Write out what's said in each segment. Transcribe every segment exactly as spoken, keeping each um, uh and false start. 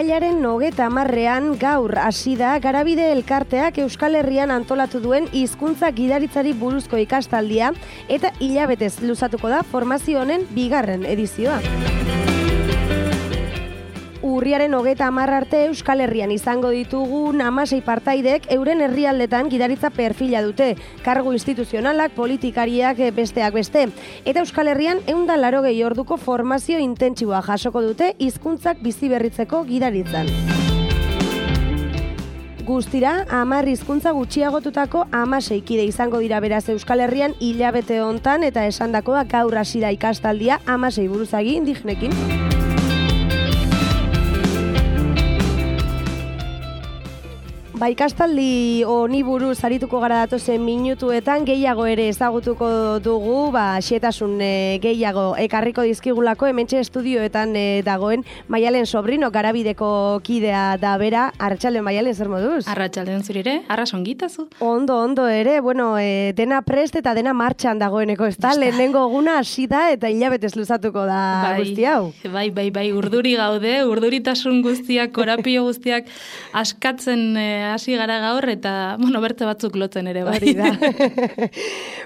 Irailaren hogeita hamarrean gaur hasi da Garabide elkarteak Euskal Herrian antolatu duen hizkuntza gidaritzari buruzko ikastaldia eta hilabetez luzatuko da formazio honen bigarren edizioa. Urriaren hogeita hamar arte Euskal Herrian izango ditugun hamasei partaidek euren herrialdetan gidaritza perfila dute, kargu instituzionalak, politikariak besteak beste. Eta Euskal Herrian ehun eta laurogei orduko formazio intentsiboa jasoko dute hizkuntzak biziberritzeko gidaritzan. Guztira, hamar hizkuntza gutxiagotutako hamasei kide izango dira beraz Euskal Herrian hilabete hontan eta esandakoa gaur hasi da ikastaldia hamasei buruzagi indigenekin. Ba, ikastaldi honi buruz arituko gara datozen minutuetan gehiago ere ezagutuko dugu, ba, xetasun e, gehiago ekarriko dizkigulako hementxe estudioetan e, dagoen Maialen Sobrino, Garabideko kidea da bera. Arratsaldeon Maialen, zer moduz? Arratsaldeon zurire, arras ongitazu. Ondo, ondo ere, bueno, e, dena prest eta dena martxan dagoeneko, ez da? Lehenengo eguna hasi da eta hilabetez luzatuko da bai, guzti hau. Bai, bai, bai, urduri gaude, urduritasun guztiak, korapio guztiak askatzen e, hasi gara gaur eta, bueno, berte batzuk lotzen ere bai. Da.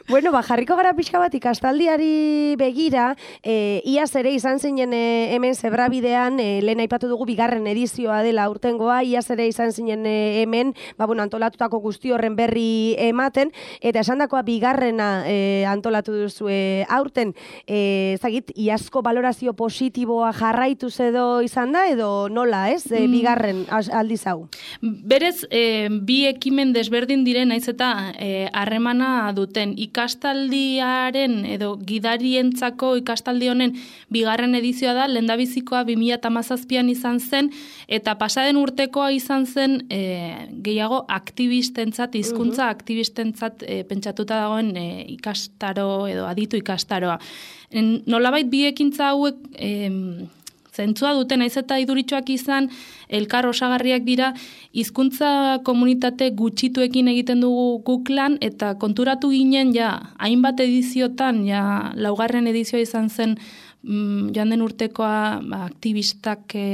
Bueno, ba, jarriko gara pixka bat ikastaldiari begira, e, iaz ere izan zinen e, hemen Zebrabidean, e, lehen aipatu dugu bigarren edizioa dela urtengoa, iaz ere izan zinen e, hemen, ba, bueno, antolatutako guzti horren berri ematen, eta esandakoa bigarrena e, antolatu duzu e, aurten, e, zagit, iazko valorazio positiboa jarraituz edo izan da, edo nola, ez, e, bigarren aldiz hau? Berez, E, bi ekimen desberdin diren naiz eta harremana e, duten ikastaldiaren edo gidarientzako ikastaldi honen bigarren edizioa da, lehendabizikoa bi mila hamazazpian izan zen eta pasaden urtekoa izan zen e, gehiago aktibistentzat, hizkuntza uh-huh. aktibistentzat e, pentsatuta dagoen e, ikastaro edo aditu ikastaroa. En, nolabait bi ekintza hauek e, zentzua duten, naiz eta iduritxoak izan, elkar osagarriak dira, hizkuntza komunitate gutxituekin egiten dugu guk lan, eta konturatu ginen, ja, hainbat ediziotan, ja, laugarren edizioa izan zen, mm, joan den urtekoa ba, aktivistak e,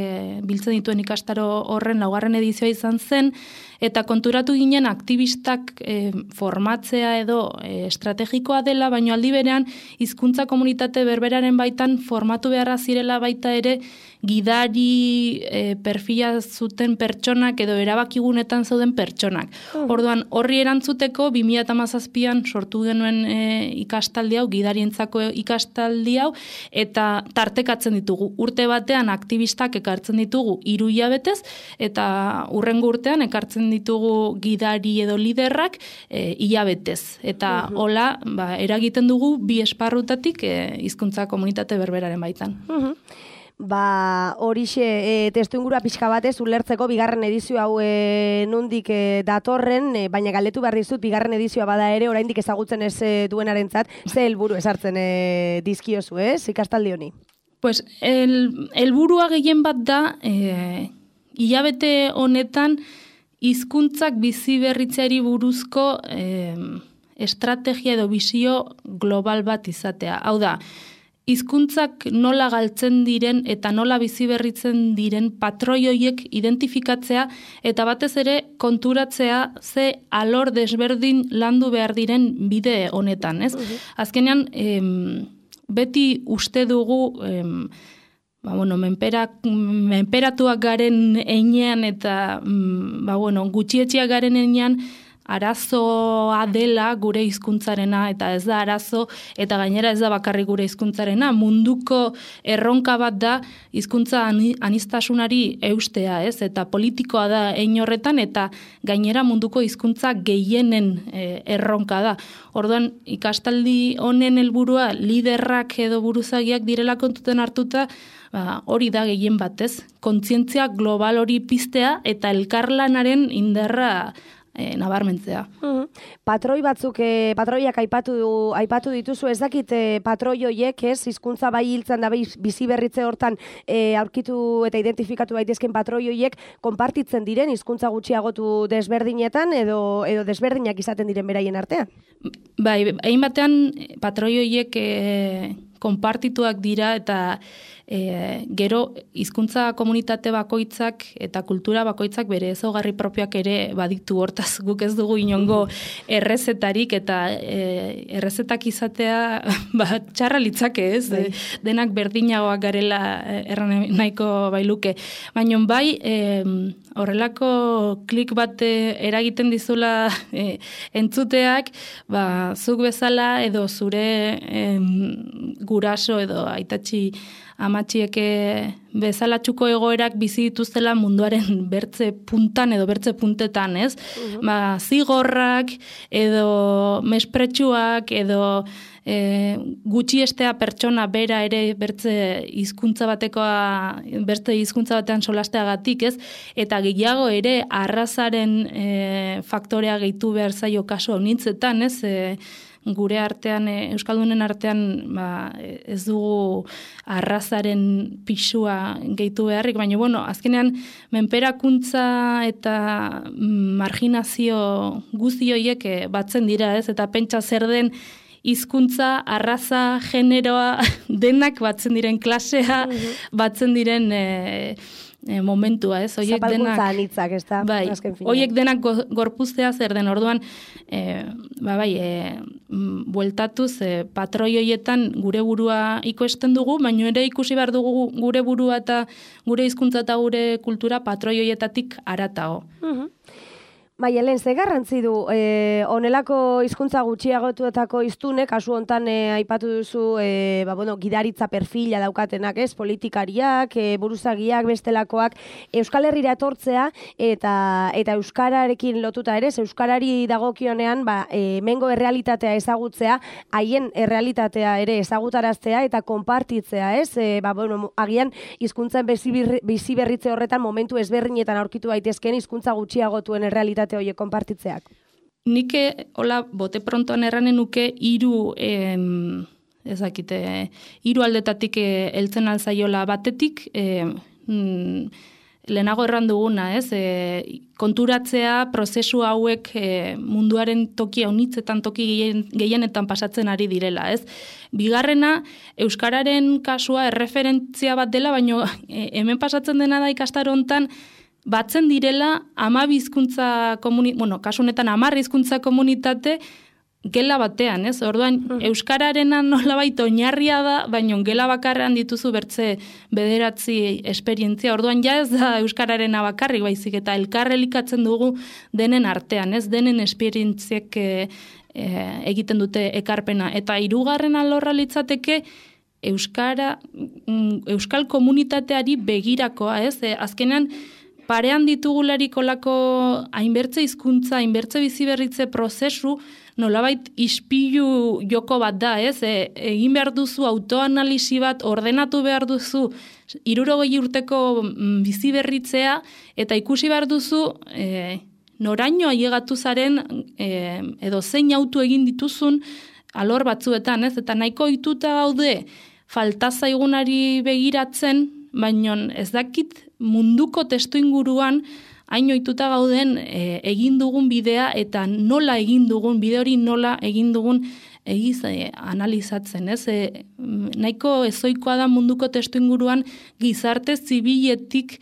biltzen dituen ikastaro horren laugarren edizioa izan zen, eta konturatu ginen aktivistak e, formatzea edo e, estrategikoa dela, baina aldi berean hizkuntza komunitate berberaren baitan formatu beharra zirela baita ere gidari e, perfila zuten pertsonak edo erabakigunetan zauden pertsonak. Uh. Orduan, horri erantzuteko bi mila hamazazpian sortu genuen e, ikastaldi hau, gidarientzako ikastaldi hau, eta tartekatzen ditugu. Urte batean aktivistak ekartzen ditugu hiru hilabetez, eta urrengo urtean ekartzen ditugu gidari edo liderrak e, hilabetez. Eta uh-huh. hola, ba, eragiten dugu bi esparrutatik e, hizkuntza komunitate berberaren baitan. Uh-huh. Ba, horixe e, testu ingurua pixka batez ulertzeko bigarren edizio hau e, nundik e, datorren, e, baina galdetu behar dizut bigarren edizioa bada ere, oraindik ezagutzen ez e, duenarentzat, ze helburu esartzen e, dizkiozu, ez, ikastaldi honi? Pues, el, helburua gehien bat da, e, hilabete honetan, hizkuntzak bizi berritzeari buruzko e, estrategia edo bizio global bat izatea. Hau da, hizkuntzak nola galtzen diren eta nola bizi berritzen diren patroi horiek identifikatzea eta batez ere konturatzea ze alor desberdin landu behar diren bide honetan, ez? Uh-huh. Azkenean, em, beti uste dugu em, ba, bueno, menpera, menperatuak garen einean eta ba, bueno, gutxietxiak garen einean arazoa dela gure hizkuntzarena eta ez da arazo eta gainera ez da bakarrik gure hizkuntzarena, munduko erronka bat da hizkuntza aniztasunari eustea, ez? Eta politikoa da hein horretan eta gainera munduko hizkuntza gehienen e, erronka da. Orduan ikastaldi honen helburua liderrak edo buruzagiak direla kontuten hartuta, ba, hori da gehien batez, kontzientzia global hori piztea eta elkarlanaren indarra E, nabarmentzea. Mm-hmm. Patroi batzuk, e, patroiak aipatu, aipatu dituzu, ez dakit e, patroi horiek, ez, hizkuntza bai hiltzen da bizi berritze hortan e, aurkitu eta identifikatu daitezken patroi horiek konpartitzen diren hizkuntza gutxiagotu desberdinetan edo edo desberdinak izaten diren beraien artean? Bai, hain batean patroi horiek e, konpartituak dira eta e, gero hizkuntza komunitate bakoitzak eta kultura bakoitzak bere ezaugarri propioak ere baditu, hortaz guk ez dugu inongo errezetarik eta e, errezetak izatea ba, txarra litzake ez, e, denak berdinagoak garela erran nahiko bailuke. Baina bai, e, horrelako klik bat eragiten dizula e, entzuteak, ba, zuk bezala edo zure em, guraso edo aitatxi amatxieke bezalatxuko egoerak bizi dituztela munduaren bertze puntan edo bertze puntetan, ez? Uh-huh. Ba, zigorrak edo mespretsuak edo e, gutxiestea pertsona bera ere bertze hizkuntza batekoa, bertze hizkuntza batean solasteagatik, ez? Eta gehiago ere arrazaren e, faktorea gehitu behar zaio kasu honitzetan, ez? E, gure artean, euskaldunen artean, ba, ez dugu arrazaren pisua gehitu beharrik, baina, bueno, azkenean, menperakuntza eta marginazio guzti horiek batzen dira, ez? Eta pentsa zer den hizkuntza, arraza, generoa, denak batzen diren klasea, batzen diren e, e, momentua, ez? Oiek Zapalkuntza anitzak, ez da? Bai, oiek denak go, gorpuztea zer den, orduan, e, ba bai, e, bueltatuz, e, patroi hoietan gure burua ikoesten dugu, baina ere ikusi behar dugu gure burua eta gure hizkuntza eta gure kultura patroi hoietatik haratago. Uh-huh. Bai, Helen, ze garrantzi du, e, onelako hizkuntza gutxiagotuetako hiztune, kasu hontan e, aipatu duzu, e, ba, bueno, gidaritza perfila daukatenak, ez, politikariak, e, buruzagiak, bestelakoak, Euskal Herrira etortzea, eta eta euskararekin lotuta ere, euskarari dagokionean, ba, e, mengo errealitatea ezagutzea, haien errealitatea ere ezagutaraztea eta konpartitzea, ez, e, ba, bueno, agian hizkuntzen bizi berritze horretan momentu ezberdinetan aurkitu daitezkeen hizkuntza gutxiagotuen errealitatea horiek konpartitzeak. Nik hola bote prontoan erranen nuke hiru em, ezakite hiru aldetatik heltzen alzaiola batetik e, mm, lehenago erran duguna, ez? E, konturatzea prozesu hauek e, munduaren toki haunitzetan toki gehien, gehienetan pasatzen ari direla, ez? Bigarrena, euskararen kasua erreferentzia bat dela, baina e, hemen pasatzen dena da ikastaro hontan batzen direla hamabi hizkuntza komunitate, bueno, kasu honetan hamar hizkuntza komunitate gela batean, ez? Orduan, mm. euskararena nolabait oinarria da, baina gela bakarrean dituzu bertze bederatzi esperientzia. Orduan, ja ez da euskararena bakarrik baizik eta elkar elikatzen dugu denen artean, ez? Denen esperientziek e, e, egiten dute ekarpena. Eta hirugarren alorra litzateke euskara, euskal komunitateari begirakoa, ez? E, azkenean, parean ditugularik olako hainbertze hizkuntza, hainbertze biziberritze prozesu, nolabait ispilu joko bat da, ez? E, egin behar duzu autoanalisi bat, ordenatu behar duzu hirurogei urteko biziberritzea, eta ikusi behar duzu e, noraino ailegatu zaren e, edo zein autu egin dituzun alor batzuetan, ez? Eta nahiko ohituta gaude falta zaigunari begiratzen, baina ez dakit munduko testu inguruan hain ohituta gauden e, egin dugun bidea eta nola egin dugun, bide hori nola egin dugun egiz e, analizatzen, ez? E, nahiko ezoikoa da munduko testu inguruan gizarte zibiletik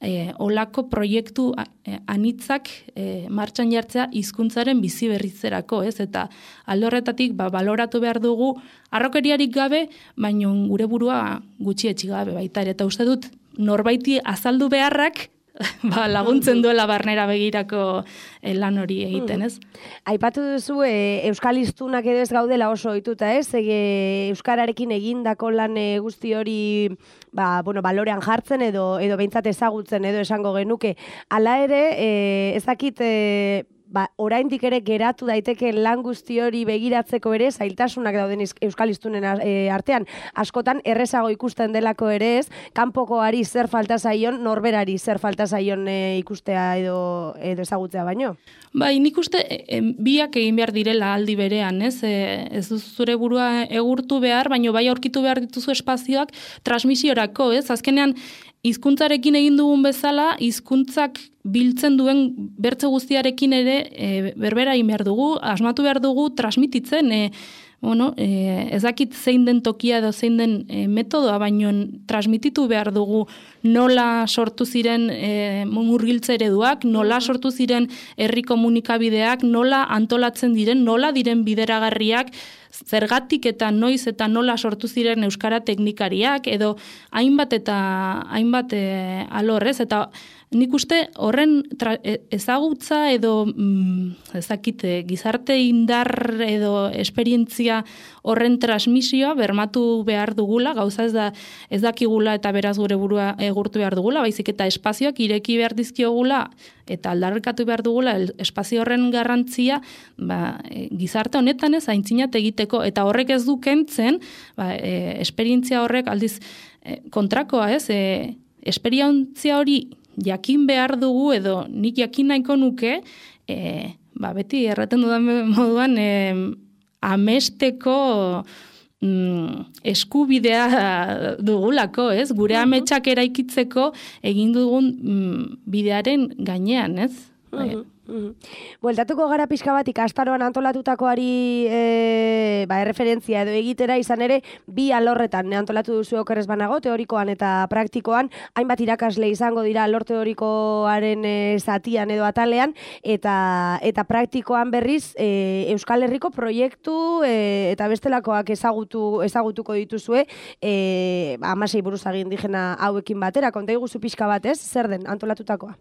e, olako proiektu e, anitzak e, martxan jartzea hizkuntzaren bizi berritzerako, ez? Eta alde horretatik ba, baloratu behar dugu harrokeriarik gabe, baina gure burua gutxietsi gabe baita ere. Eta uste dut norbaiti azaldu beharrak ba, laguntzen duela barnera begirako eh, lan hori egiten, ez? Aipatu duzu e, euskal hiztunak edo ez gaudela oso ohituta, ez? E, euskararekin egindako lan e, guzti hori ba, bueno, balorean jartzen edo edo behintzat ezagutzen edo esango genuke. Hala ere, e, ezakit e, ba, oraindik ere geratu daiteke lan guzti hori begiratzeko ere zailtasunak dauden euskal hiztunen artean. Askotan errezago ikusten delako ere ez, kanpokoari zer falta zaion, norberari zer falta zaion e, ikustea edo, edo ezagutzea baino. Bai, nik uste e, biak egin behar direla aldi berean, ez? E, ez duzu zure burua egurtu behar, baino bai aurkitu behar dituzu espazioak transmisiorako, ez? Azkenean, hizkuntzarekin egin dugun bezala, hizkuntzak biltzen duen bertze guztiarekin ere e, berbera egin behar dugu, asmatu behar dugu transmititzen, e, bueno, e, ez dakit zein den tokia edo zein den e, metodoa, baino transmititu behar dugu nola sortu ziren e, murgiltze ereduak, nola sortu ziren herri komunikabideak, nola antolatzen diren, nola diren bideragarriak, zergatik eta noiz eta nola sortu ziren euskara teknikariak, edo hainbat eta hainbat e, alorrez, eta nik uste horren tra, ezagutza edo mm, ezakite, gizarte indar edo esperientzia horren transmisioa bermatu behar dugula, gauza ez da ez dakigula eta beraz gure burua egurtu behar dugula, baizik eta espazioak ireki behar dizkiogula eta aldarrikatu behar dugula el, espazio horren garrantzia ba, e, gizarte honetan ez aintzinat egiteko, eta horrek ez du kentzen, ba, e, esperientzia horrek aldiz e, kontrakoa ez, e, esperientzia hori jakin behar dugu edo nik jakin nahiko nuke, e, ba, beti erraten dudan moduan e, amesteko mm, eskubidea dugulako, ez? Gure ametsak eraikitzeko egin dugun mm, bidearen gainean, ez? Uh-huh. Mm-hmm. Bueltatuko gara pixka bat ikastaroan antolatutakoari e, ba, erreferentzia edo egitera izan ere bi alorretan antolatu duzu okerrez banago, teorikoan eta praktikoan, hainbat irakasle izango dira alor teorikoaren e, zatian edo atalean, eta eta praktikoan berriz e, Euskal Herriko proiektu e, eta bestelakoak ezagutu ezagutuko dituzue e, hamasei buruzagi indigena hauekin batera, konta iguzu pixka bat ez, zer den antolatutakoa?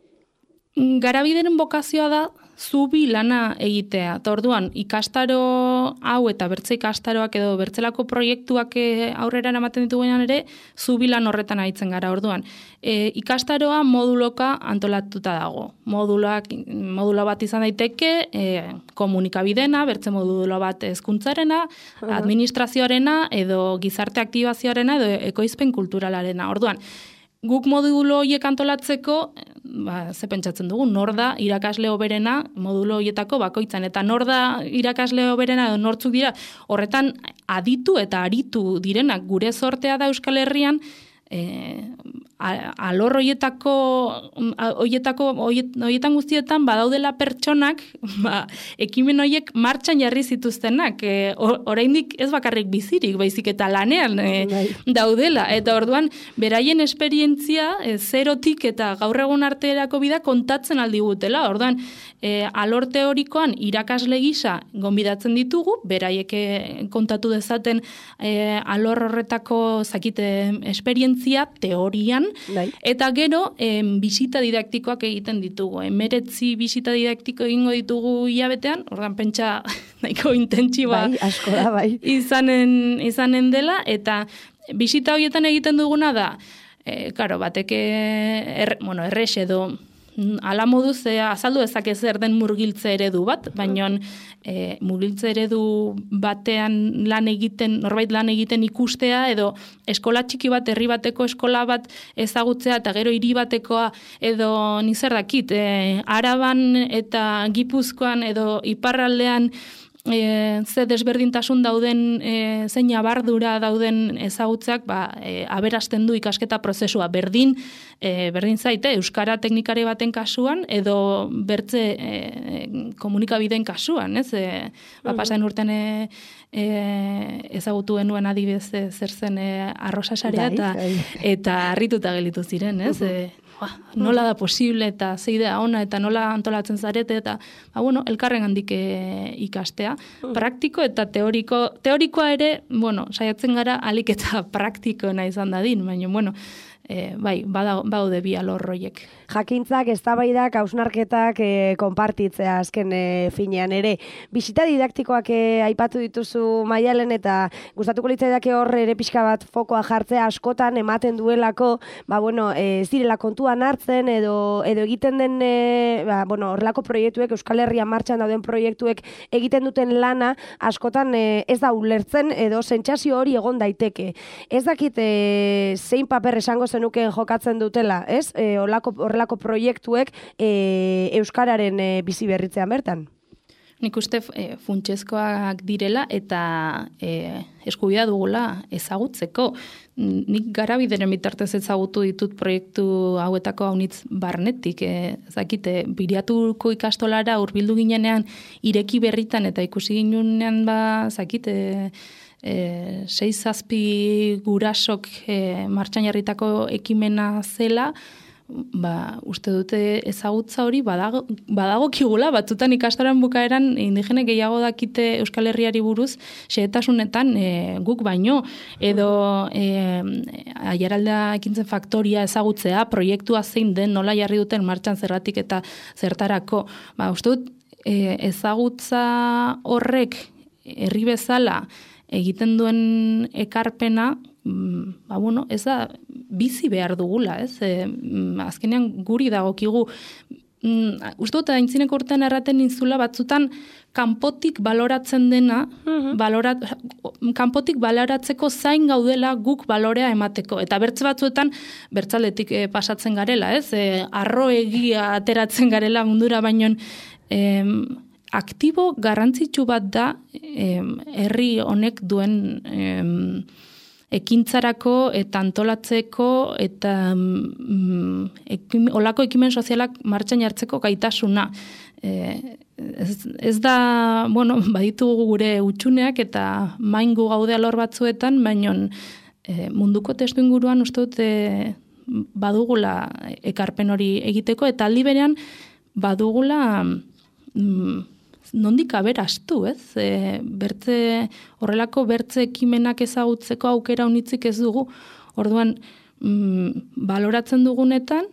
Garabideren bokazioa da zubi lana egitea. Eta orduan, ikastaro hau eta bertze ikastaroak edo bertzelako proiektuak aurrera ematen ditugunean ere, zubi lan horretan aritzen gara. Orduan, e, ikastaroa moduloka antolatuta dago. Moduloak, modulo bat izan daiteke, e, komunikabidena, bertze modulo bat hezkuntzarena, administrazioarena, edo gizarte aktibazioarena, edo ekoizpen kulturalarena. Orduan, guk modulo horiek antolatzeko, ba, ze pentsatzen dugu, nor da irakasle hoberena modulo horietako bakoitzan, eta nor da irakasle hoberena edo nortzuk dira, horretan aditu eta aritu direnak, gure zortea da Euskal Herrian, e, alor horietako, horietako, horietan guztietan badaudela pertsonak, ba, ekimen horiek martxan jarri zituztenak, e, oraindik ez bakarrik bizirik, baizik eta lanean e, daudela, eta orduan beraien esperientzia e, zerotik eta gaur egun arterako bida kontatzen aldigutela, orduan e, alor teorikoan irakasle gisa gonbidatzen ditugu, beraiek kontatu dezaten e, alor horretako zakite esperientzia teorian, Bai. Eta gero, em, bisita didaktikoak egiten ditugu. Emeretzi bisita didaktiko egingo ditugu hilabetean, ordan pentsa nahiko intentsiba bai, asko da, bai. izanen, izanen dela, eta bisita horietan egiten duguna da, e, karo, bateke, er, bueno, errex edo, ala moduz e, azaldu ezak zer den murgiltze eredu bat, baina e, murgiltze eredu batean lan egiten, norbait lan egiten ikustea, edo eskola txiki bat, herri bateko eskola bat ezagutzea, eta gero hiri batekoa, edo nizer dakit, e, Araban eta Gipuzkoan, edo Iparraldean, E, ze desberdintasun dauden, e, zein abardura dauden ezagutzeak, ba, e, aberasten du ikasketa prozesua. Berdin, e, berdin zaite, euskara teknikari baten kasuan, edo bertze e, komunikabideen kasuan, ez? E, ba, pasain urten e, e, ezagutu genuen adibidez e, zer zen e, arrosasarea, eta, eta harrituta gelitu ziren, ez? E, Ba, nola da posible eta zeidea ona eta nola antolatzen zarete eta ba, bueno, elkarren handik e, ikastea. Praktiko eta teoriko, teorikoa ere, bueno, saiatzen gara alik eta praktikoena izan dadin, baina, bueno, e, bai, badaude bi alor horiek. Jakintzak, eztabaidak, hausnarketak e, konpartitzea azken e, finean ere. Bisita didaktikoak e, aipatu dituzu Maialen, eta gustatuko litzaidake hor ere pixka bat fokoa jartzea askotan ematen duelako, ba bueno, e, zirela kontuan hartzen edo edo egiten den e, ba, bueno, horrelako proiektuek, Euskal Herrian martxan dauden proiektuek egiten duten lana askotan e, ez da ulertzen edo sentsazio hori egon daiteke. Ez dakit e, zein paper esango zenukeen jokatzen dutela, ez? E, horrelako horrelako proiektuek e, euskararen e, bizi berritzean bertan. Nik uste e, funtsezkoak direla eta e, eskubidea dugula ezagutzeko. Nik Garabideren bitartez ezagutu ditut proiektu hauetako haunitz barnetik. E, zakite, Biriatuko ikastolara hurbildu ginenean ireki berritan eta ikusi ginenean ba, zakite, e, sei zazpi gurasok e, martxan jarritako ekimena zela, ba, uste dute ezagutza hori badago, badago kigula, batzutan ikastaroan bukaeran indigene gehiago dakite Euskal Herriari buruz, xehetasunetan e, guk baino, edo e, Aiaraldea ekintzen faktoria ezagutzea, proiektua zein den, nola jarri duten martxan zerratik eta zertarako. Ba, uste dut e, ezagutza horrek herri bezala egiten duen ekarpena, ba, bueno, ez da bizi behar dugula, ez? E, azkenean guri dagokigu. Uste dut, aintzineko urtean erraten nintzula, batzutan kanpotik baloratzen dena, uh-huh. balorat, kanpotik baloratzeko zain gaudela guk balorea emateko. Eta bertze batzuetan, bertzaletik e, pasatzen garela, ez? E, arro egia ateratzen garela mundura, baino e, aktibo garrantzitsu bat da e, herri honek duen E, ekintzarako eta antolatzeko eta mm, ekim, olako ekimen sozialak martxan jartzeko gaitasuna. E, ez, ez da, bueno, baditugu gure utxuneak eta maingu gaude alor batzuetan, baino e, munduko testu inguruan uste dut e, badugula ekarpen hori egiteko eta aldi berean badugula mm, nondik aberastu, ez? E, bertze, horrelako bertze ekimenak ezagutzeko aukera unitzik ez dugu. Orduan, mm, baloratzen dugunetan,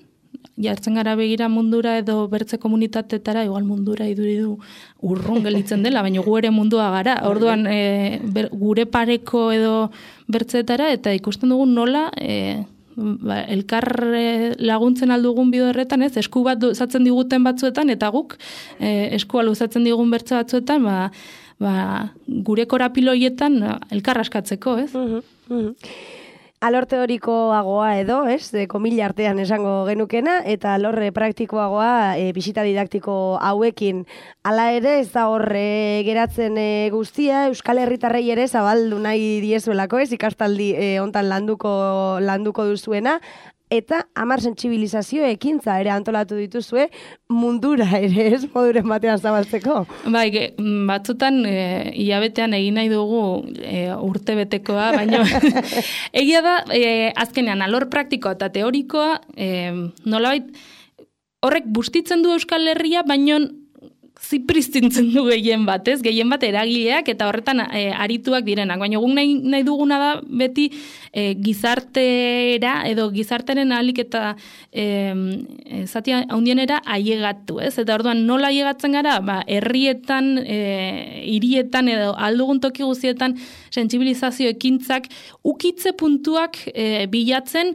jartzen gara begira mundura edo bertze komunitatetara, igual mundura iduridu urrun gelitzen dela, baina gu ere mundua gara. Orduan, e, ber, gure pareko edo bertzeetara, eta ikusten dugu nola e, ba, elkar laguntzen aldugun bide horretan, ez, esku bat luzatzen diguten batzuetan, eta guk e, eskua luzatzen digun bertze batzuetan, ba, ba, gure korapiloietan elkar askatzeko, ez? Uh-huh, uh-huh. Alor teorikoagoa edo, ez, e, komila artean esango genukena, eta alorre praktikoagoa e, bisita didaktiko hauekin. Hala ere, ez da horre geratzen e, guztia, Euskal Herritarrei ere zabaldu nahi diezuelako, ez, ikastaldi e, hontan landuko, landuko duzuena, eta hamar sentsibilizazio ekintza ere antolatu dituzue mundura ere, ez, moduren batean zabaltzeko. Bai, ge, batzutan e, hilabetean egin nahi dugu e, urte betekoa, baina egia da, e, azkenean alor praktikoa eta teorikoa, e, nolabait, horrek bustitzen du Euskal Herria, baina zipristintzen du gehien bat, ez? Gehien bat eragileak eta horretan e, arituak direnak. Baina guk nahi, nahi duguna da beti e, gizartera edo gizarteren ahalik eta e, e, zati handienera ailegatu, ez? Eta orduan nola ailegatzen gara? Ba, herrietan, e, hirietan edo aldugun toki guztietan sentsibilizazio ekintzak ukitze puntuak e, bilatzen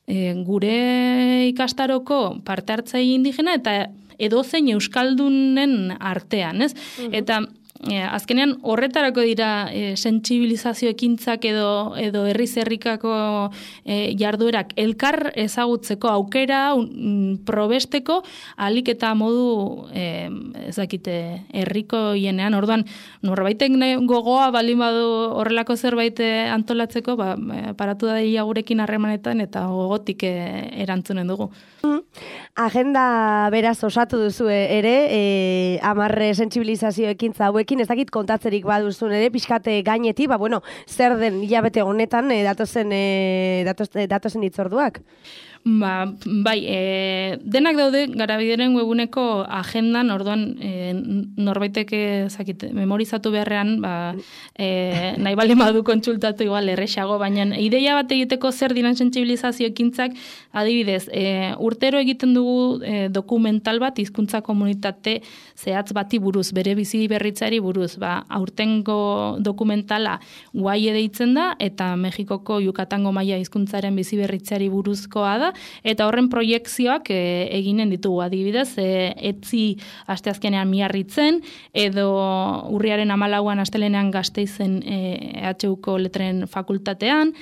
e, gure ikastaroko parte hartzaile indigena eta edozein euskaldunen artean, ez? Uh-huh. Eta e, azkenean horretarako dira e, sentsibilizazio ekintzak edo edo herriz herrikako e, jarduerak elkar ezagutzeko aukera un, probesteko ahalik eta modu e, ezakite herriko hienean. Orduan norbaitek gogoa baldin badu horrelako zerbait antolatzeko, ba paratu da ia gurekin harremanetan eta gogotik e, erantzunen dugu. Uh-huh. Agenda beraz osatu duzu ere, e, amarre sentsibilizazio ekintza hauekin, ez dakit kontatzerik baduzun ere, pixkate gaineti, ba, bueno, zer den hilabete honetan e, datozen, e, datos, e, datozen itzorduak? Ba, bai, e, denak daude Garabideren webuneko agendan, orduan e, norbaitek ezakit memorizatu beharrean, ba, e, nahi baldin badu kontsultatu igual erresago, baina ideia bat egiteko zer diren sentsibilizazio ekintzak, adibidez, e, urtero egiten dugu e, dokumental bat hizkuntza komunitate zehatz bati buruz, bere bizi berritzari buruz, ba, aurtengo dokumentala guai deitzen da, eta Mexikoko Yucatango maia hizkuntzaren bizi berritzari buruzkoa da, eta horren proiekzioak e, eginen ditugu adibidez, e, etzi asteazkenean Miarritzen, edo urriaren hamalauan astelenean Gasteizen e, E H Uko letren fakultatean,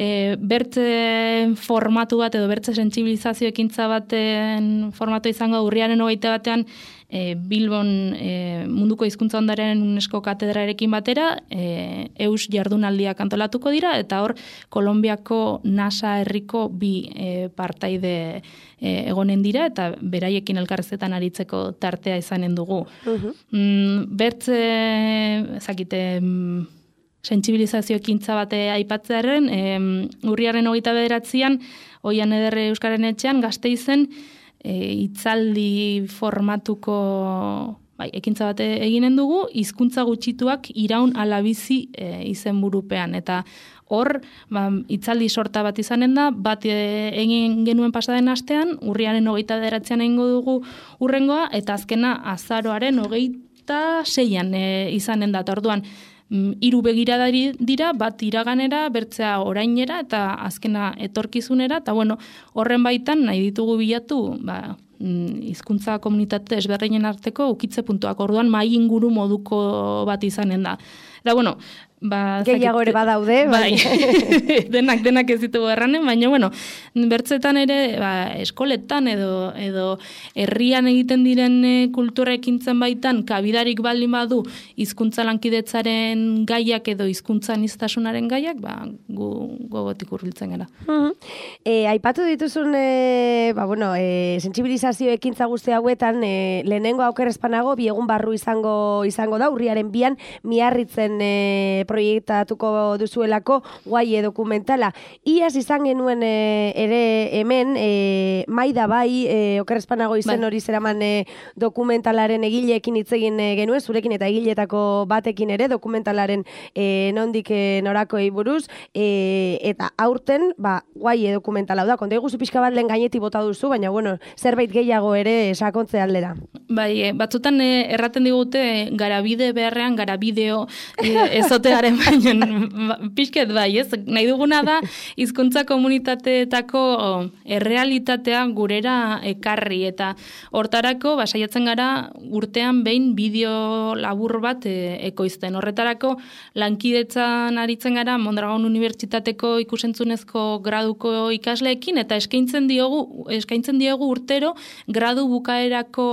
e, bertze formatu bat edo bertze sentsibilizazio ekintza baten formatu izango urriaren hogeita batean e, Bilbon e, munduko hizkuntza ondaren UNESCO katedrarekin batera e, eus jardunaldiak antolatuko dira eta hor Kolonbiako NASA herriko bi e, partaide e, egonen dira eta beraiekin elkarrezetan aritzeko tartea izanen dugu. Uh-huh. mm, bertze ezakite mm, sentsibilizazio ekintza bate aipatzearen, e, urriaren hogeita bederatzian, Oian Ederre Euskaren Etxean, Gasteizen, e, hitzaldi formatuko bai, ekintza bate eginen dugu, hizkuntza gutxituak iraun ala bizi e, izenburupean. Eta hor, ba, hitzaldi sorta bat izanen da, bat e, egin genuen pasaden astean, urriaren hogeita bederatzian egingo dugu urrengoa, eta azkena azaroaren hogeita seian e, izanen da. Orduan, hiru begiradari dira, bat iraganera, bertzea orainera eta azkena etorkizunera, eta bueno, horren baitan nahi ditugu bilatu, ba, hizkuntza komunitate ezberdinen arteko ukitze puntuak. Orduan mai inguru moduko bat izanen da. Eta bueno, ba, gehiago ere badaude, bai. denak denak ez ditugu erranen, baina bueno, bertzetan ere ba, eskoletan edo edo herrian egiten diren kultura ekintzen baitan kabidarik baldin badu hizkuntza lankidetzaren gaiak edo hizkuntza aniztasunaren gaiak, ba, gu gogotik hurbiltzen gara. Uh-huh. E, aipatu dituzun e, ba, bueno, e, sentsibilizazio ekintza guzti hauetan e, lehenengo aukerrezpanago bi egun barru izango izango da urriaren bian Miarritzen e, proiektatuko duzuelako guaie dokumentala. Iaz izan genuen e, ere hemen, e, Maida bai, e, okerrezpanago izen hori zeraman e, dokumentalaren egileekin hitz egin e, genuen, zurekin eta egiletako batekin ere, dokumentalaren e, nondik e, norakoei buruz, e, eta aurten, ba, guaie dokumentala da, konta eguzu pixka bat lehen gaineti bota duzu, baina, bueno, zerbait gehiago ere sakontze aldera. Bai, batzutan e, erraten digute garabide beharrean, garabideo e, ezotearen baina pixket bai, ez? Nahi duguna da hizkuntza komunitateetako errealitatea gurera ekarri eta hortarako basaiatzen gara urtean behin bideo labur bat e, ekoizten. Horretarako lankidetzan aritzen gara Mondragon Unibertsitateko ikusentzunezko graduko ikasleekin eta eskaintzen diogu eskaintzen diegu urtero gradu bukaerako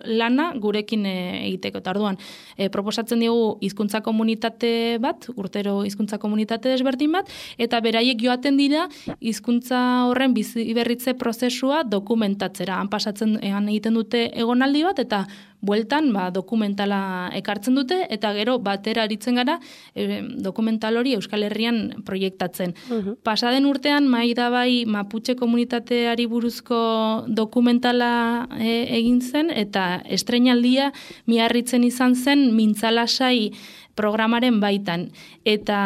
lana gurekin e, egiteko. Eta orduan, e, proposatzen diogu hizkuntza komunitate bat, urtero hizkuntza komunitate desberdin bat, eta beraiek joaten dira hizkuntza horren bizi berritze prozesua dokumentatzera. Han pasatzen han egiten dute egonaldi bat eta bueltan ba, dokumentala ekartzen dute eta gero batera aritzen gara e, dokumental hori Euskal Herrian proiektatzen. Uh-huh. Pasaden urtean Maida bai Mapuche komunitateari buruzko dokumentala e, egin zen eta estreinaldia Miarritzen izan zen Mintzalasai programaren baitan. Eta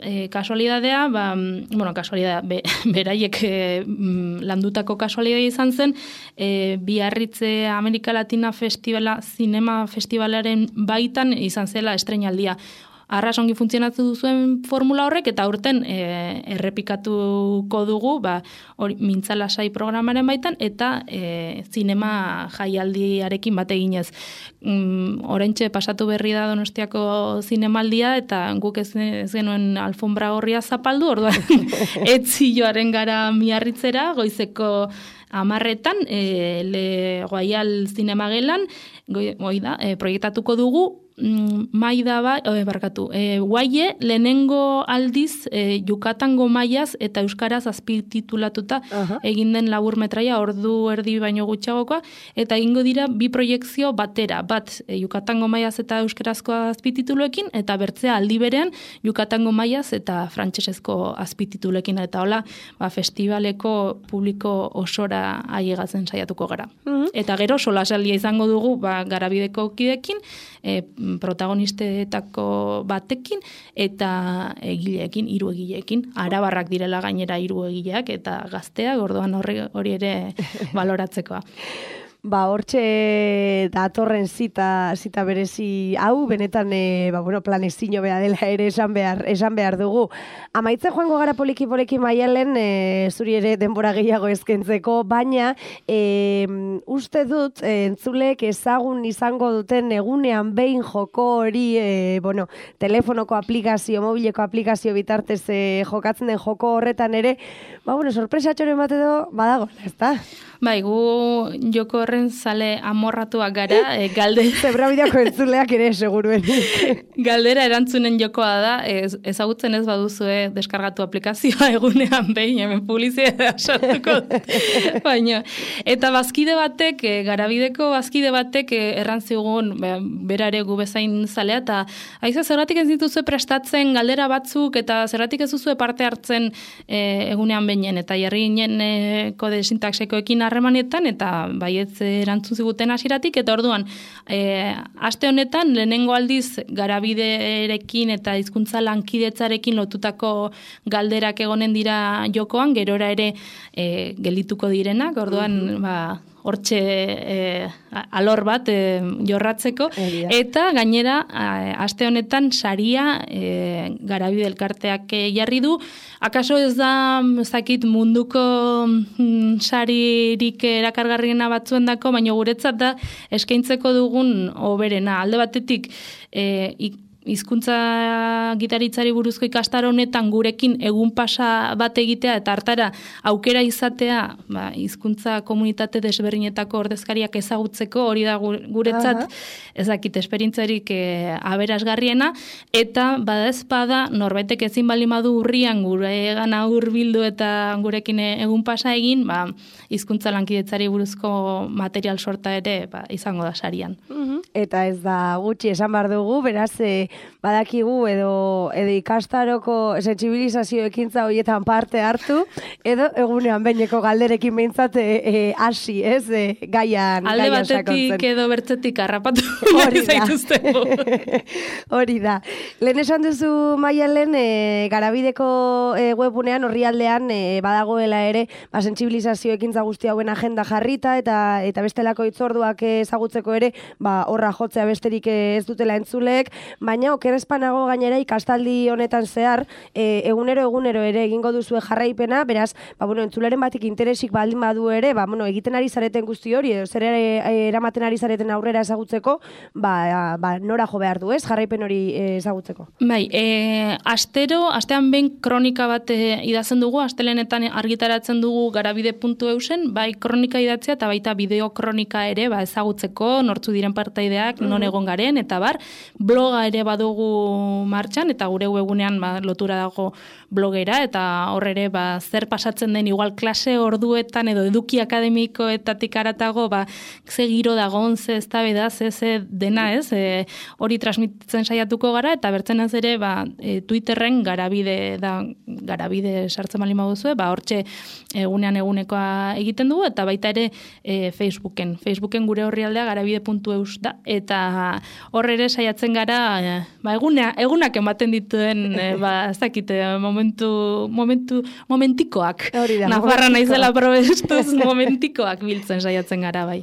e, kasualidadea, ba, bueno, kasualidadea, be, beraiek e, landutako kasualidadea izan zen, e, Biarritze Amerika Latina Festivala, Zinema Festivalaren baitan izan zela estreinaldia. Arras ongi funtzionatu duzuen formula horrek eta aurten e, errepikatuko dugu ba, hori, Mintzalasai programaren baitan eta e, zinema jaialdiarekin bat eginez. Mm, oraintxe pasatu berri da Donostiako zinemaldia eta guk ez, ez genuen alfombra gorria zapaldu, orduan etzioaren gara Miarritzera, goizeko amarretan, e, le Guaial zinemagelan, goi, goi da, e, proiektatuko dugu, Maida bai, e, barkatu, e, guaie lehenengo aldiz e, Yucatango maiaz eta euskaraz azpititulatuta uh-huh. egin den labur metraia ordu erdi baino gutxiagokoa eta egingo dira bi proiekzio batera, bat e, Yucatango maiaz eta euskarazko azpitituluekin eta bertzea aldi berean Yucatango maiaz eta frantsesezko azpitituluekin eta hola, ba, festivaleko publiko osora ailegatzen saiatuko gara. Uh-huh. Eta gero solasaldia izango dugu ba, Garabideko kidekin, e, protagonistetako batekin eta egileekin, hiru egileekin. Arabarrak direla gainera hiru egileak eta gazteak, orduan hori, hori ere baloratzekoa. Ba, hortxe datorren zita, zita berezi hau, benetan e, ba, bueno, planezino beha dela ere esan behar, esan behar dugu. Amaitzen joango gara poliki-poliki Maialen, e, zuri ere denbora gehiago eskentzeko, baina e, uste dut e, entzulek ezagun izango duten egunean behin joko hori, e, bueno, telefonoko aplikazio, mobileko aplikazio bitartez e, jokatzen den joko horretan ere, ba, bueno, sorpresatxoren bat edo badago, ezta? Bai, gu joko horren zale amorratuak gara, e, galde... Zebrabideako entzuleak ere, seguruen. Galdera erantzunen jokoa da, ez, ezagutzen ez baduzue deskargatu aplikazioa egunean behin, hemen publizitatea sartuko. Baina, eta bazkide batek, e, garabideko bazkide batek e, errantzigun, be, berare gu bezain zalea, eta haize zergatik ez dituzue prestatzen galdera batzuk, eta zergatik ez duzue parte hartzen e, egunean behinen, eta jarri ginen e, kode sintaxekoekin harremanetan, eta baietz erantzun ziguten hasiratik, eta orduan, e, aste honetan, lehenengo aldiz garabiderekin eta hizkuntza lankidetzarekin lotutako galderak egonen dira jokoan, gerora ere e, geldituko direnak, orduan, mm-hmm. ba, hortxe e, alor bat e, jorratzeko, Eria. Eta gainera, a, aste honetan saria e, garabide elkarteak e, jarri du, akaso ez da, ezakit munduko mm, saririk erakargarriena batzuendako, baina guretzat da eskaintzeko dugun oberena. Alde batetik, e, ik, hizkuntza gitaritzari buruzko ikastaro honetan gurekin egun pasa bat egitea eta hartara aukera izatea, ba, hizkuntza komunitate desberdinetako ordezkariak ezagutzeko, hori da guretzat ezakit esperientzarik e, aberasgarriena, eta bada ezpada norbaitek ezin bali madu urrian gure gana hurbildu eta gurekin egun pasa egin, ba, hizkuntza lankidetzari buruzko material sorta ere ba, izango da sarian. Mm-hmm. Eta ez da gutxi esan behar dugu, beraz, e, badakigu edo, edo ikastaroko sentsibilizazio ekintza horietan parte hartu, edo egunean behineko galderekin behintzat hasi, e, ez, e, gaian alde gaian batetik sakontzen. Edo bertzetik harrapatu hori zaituztego. Hori da. Lehen esan duzu Maialen, e, garabideko e, webunean, orrialdean e, badagoela ere, ba, sentsibilizazio ekintza guzti hauen agenda jarrita, eta eta bestelako hitzorduak ezagutzeko ere, ba, horra jotzea besterik ez dutela entzulek, baina okerrezpanago gainera ikastaldi honetan zehar, e, egunero egunero ere egingo duzue jarraipena, beraz, ba, bueno, entzuleren batik interesik baldin badu ere, ba, bueno, egiten ari zareten guzti hori, edo zer ere eramaten ari zareten aurrera ezagutzeko, ba, ba, nora jo behar du, ez, jarraipen hori ezagutzeko. Bai, e, astero, astean behin kronika bat e, idatzen dugu, astelenetan argitaratzen dugu garabide puntu eusen, bai kronika idatzea eta baita bideo kronika ere, ba, ezagutzeko, nortzu diren partaideak, non egon garen, eta bar, bloga ere badugu martxan, eta gure webunean ba, lotura dago blogera, eta hor ere ba, zer pasatzen den igual klase orduetan edo eduki akademikoetatik aratago, ba, ze giro dagoen, ze eztabaida, ze ze dena ez, e, hori transmititzen saiatuko gara, eta bertzen ez ere ba, e, Twitterren garabide da, garabide sartzen bali baduzue, ba, hortxe egunean egunekoa egiten dugu, eta baita ere e, Facebooken. Facebooken gure orrialdea garabide puntu eus da, eta hor ere saiatzen gara, e, ba, eguna, egunak ematen dituen, e, ba, ez dakite, momentu, momentu, momentikoak. Nafarra naizela probestuz momentikoak biltzen saiatzen gara, bai.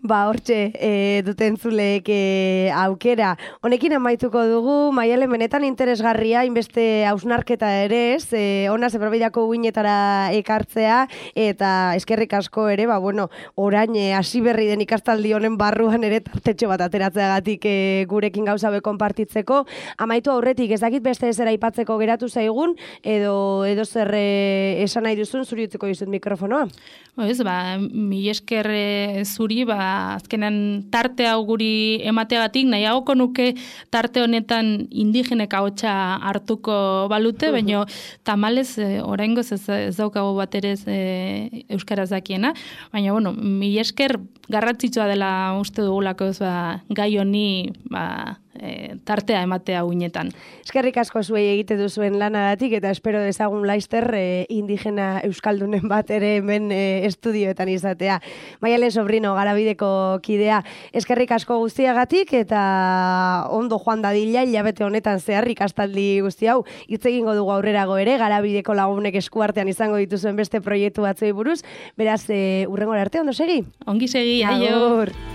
Ba, hortxe, e, duten zulek e, aukera. Honekin amaituko dugu, Maialen benetan interesgarria, inbeste hausnarketa ere ez, e, ona zebrabidako uinetara ekartzea, eta eskerrik asko ere, ba, bueno, orain hasi berri den ikastaldi honen barruan ere tartetxo bat ateratzeagatik e, gurekin gauza be konpartitzeko. Amaitu aurretik, ez dakit beste ezera aipatzeko geratu zaigun, edo, edo zer e, esan nahi duzun, zuri utziko dizut mikrofonoa. Ez, ba, mi esker e, zuri, ba, azkenan tarte hau guri emateagatik, nahiagoko nuke tarte honetan indigenek ahotsa hartuko balute, uh-huh. baina tamalez e, oraingoz ez, ez daukago bat ere e, euskaraz dakiena, baina bueno, mi esker garrantzitsua dela uste dugulako ez, ba, gai honi ba, e, tartea ematea uinetan. Eskerrik asko zuei egite duzuen lanagatik eta espero dezagun laister e, indigena euskaldunen bat ere hemen e, estudioetan izatea. Maialen Sobrino, Garabideko kidea, eskerrik asko guztiagatik eta ondo joan dadila hilabete honetan zehar ikastaldi guzti hau. Hitz egingo dugu aurrerago ere, Garabideko lagunek eskuartean izango dituzuen beste proiektu batzuei buruz. Beraz, e, urrengora arte, ondo segi? Ongi segi, aio! Agur!